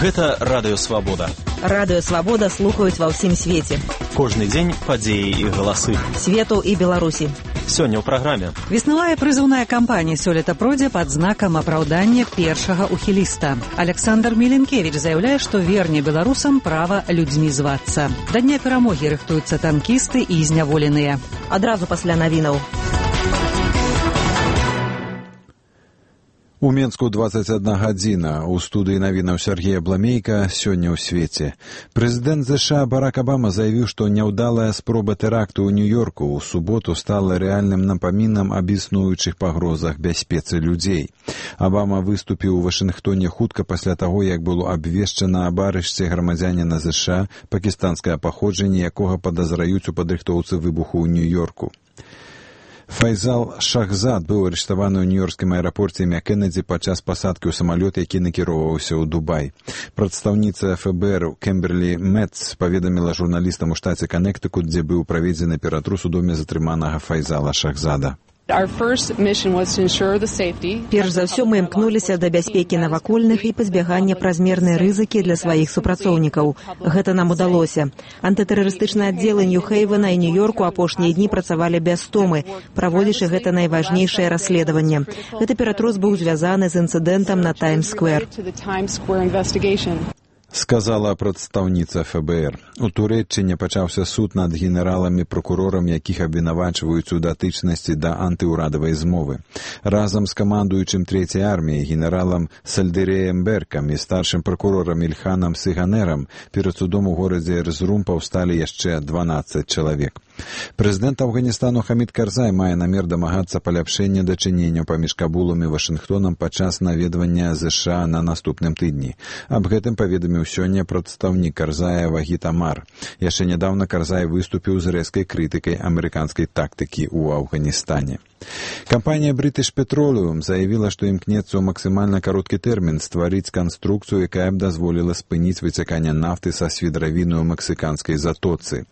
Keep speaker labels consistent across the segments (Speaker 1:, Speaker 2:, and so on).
Speaker 1: Гэта Радыё Свабода.
Speaker 2: Радыё Свабода слухаюць ва ўсім свеце.
Speaker 1: Кожны дзень падзеі і галасы.
Speaker 2: Свету і Беларусі.
Speaker 1: Сёння ў праграме.
Speaker 3: Веснавая прызыўная кампанія сёлета пройдзе пад знакам апраўдання першага ухіліста. Александр Міленкевіч заяўляе, што верне беларусам права людзьмі звацца. Да дня перамогі рыхтуюцца танкісты і зняволеныя.
Speaker 2: Адразу пасля навінаў.
Speaker 4: У Менску 21 гадзіна. У студыі навінаў Сергея Бламейка сёння ў свеце. Прэзідэнт ЗША Барак Обама заявіў, што няўдалая спроба тэракту ў Нью-Йорку ў суботу стала рэальным напамінам аб існуючых пагрозах бяспецы людзей. Обама выступіў у Вашынгтоне хутка пасля таго, як было абвешчана аб арышце грамадзяніна ЗША, пакістанскае паходжанне якога падазраюць у падрыхтоўцы выбуху ў Нью-Йорку. Файзал Шахзад быў арыштаваны ў нью-йоркскім аэрапорце імя Кеннеді падчас пасадкі ў самалёт, які накіроўваўся ў Дубай. Прадстаўніца ФБР Кемберлі Мэтц паведаміла журналістам у штаце Каннектыкут, дзе быў праведзены ператрус у доме затрыманага Файзала Шахзада.
Speaker 2: Перш за ўсё мы імкнуліся да бяспекі навакольных і пазбягання празмернай рызыкі для сваіх супрацоўнікаў. Гэта нам удалося. Антытэрарыстычныя аддзелы Нью-Хейвена і Нью-Йорку апошнія дні працавалі без стомы, праводзячы гэта найважнейшае расследаванне. Гэты ператрус быў звязаны з інцыдэнтам на Таймс-сквер.
Speaker 4: Сказала прадстаўніца ФБР. У Турэччыне пачаўся суд над генераламі-пракурорам, якіх абвінавачваюць у датычнасці да антыўрадавай змовы. Разам з камандуючым Трэцяй арміяй генералам Сальдырэем Беркам і старшым пракурорам Ільханам Сыганерам перад судом у горадзе Эрзрум паўсталі яшчэ 12 чалавек. Прэзідэнт Афганістану Хамід Карзай мае намер дамагацца паляпшэння дачыненняў паміж Кабулам і Вашынгтонам падчас наведвання ЗША на наступным тыдні. Аб гэтым паведаміў сёння прадстаўнік Карзая Вагіт Амар. Яшчэ нядаўна Карзай выступіў з рэзкай крытыкай амерыканскай тактыкі ў Афганістане. Кампанія British Petroleum заявіла, што імкнецца ў максімальна кароткі тэрмін стварыць канструкцыю, якая б дазволіла спыніць выцяканне нафты са свідравіны ў мексіканскай затоцы.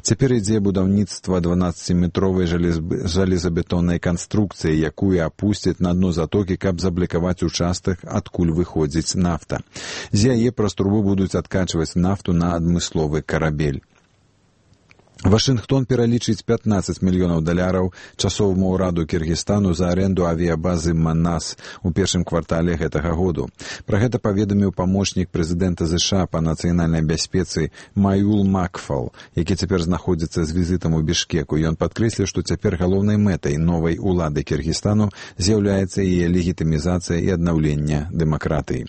Speaker 4: Цяпер ідзе будаўніцтва 12-метровай жалезабетоннай канструкцыі, якую апусцяць на дно затокі, каб заблакаваць участак, адкуль выходзіць нафта. З яе праз трубу будуць адкачваць нафту на адмысловы карабель. Вашынгтон пералічыць $15 мільёнаў часоваму ўраду Кіргізстану за аренду авіябазы Манас у першым квартале гэтага году. Пра гэта паведаміў памочнік прэзідэнта ЗША па нацыянальнай бяспецы Маюл Макфал, які цяпер знаходзіцца з візітам у Бішкеку. Ён падкрэсліў, што цяпер галоўнай мэтай новай улады Кіргізстану з'яўляецца яе легітымізацыя і аднаўленне дэмакратыі.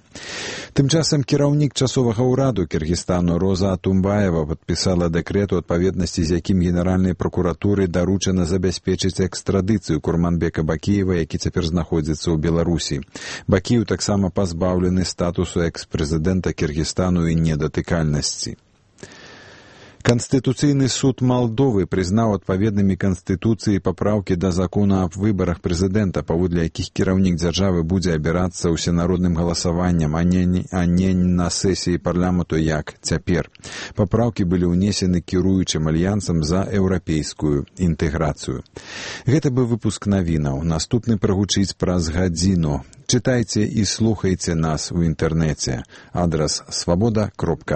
Speaker 4: Тым часам кіраўнік часовага ўраду Кіргізстану Роза Атумбаева падпісала дэкрэт у адпаведнасці, з якім генеральнай пракуратуры даручана забяспечыць экстрадыцыю Курманбека Бакіева, які цяпер знаходзіцца ў Беларусі. Бакіеў таксама пазбаўлены статусу экс-прэзідэнта Кіргізстану і недатыкальнасці. Канстытуцыйны суд Малдовы прызнаў адпаведнымі канстытуцыі папраўкі да закона аб выбарах прэзідэнта, паводле якіх кіраўнік дзяржавы будзе абірацца ўсенародным галасаваннем, а не на сесіі парламенту, як цяпер. Папраўкі былі ўнесены кіруючым альянсам за еўрапейскую інтэграцыю. Гэта быў выпуск навінаў. Наступны прагучыць праз гадзіну. Чытайце і слухайце нас у інтэрнэце. Адрас свабода.орг.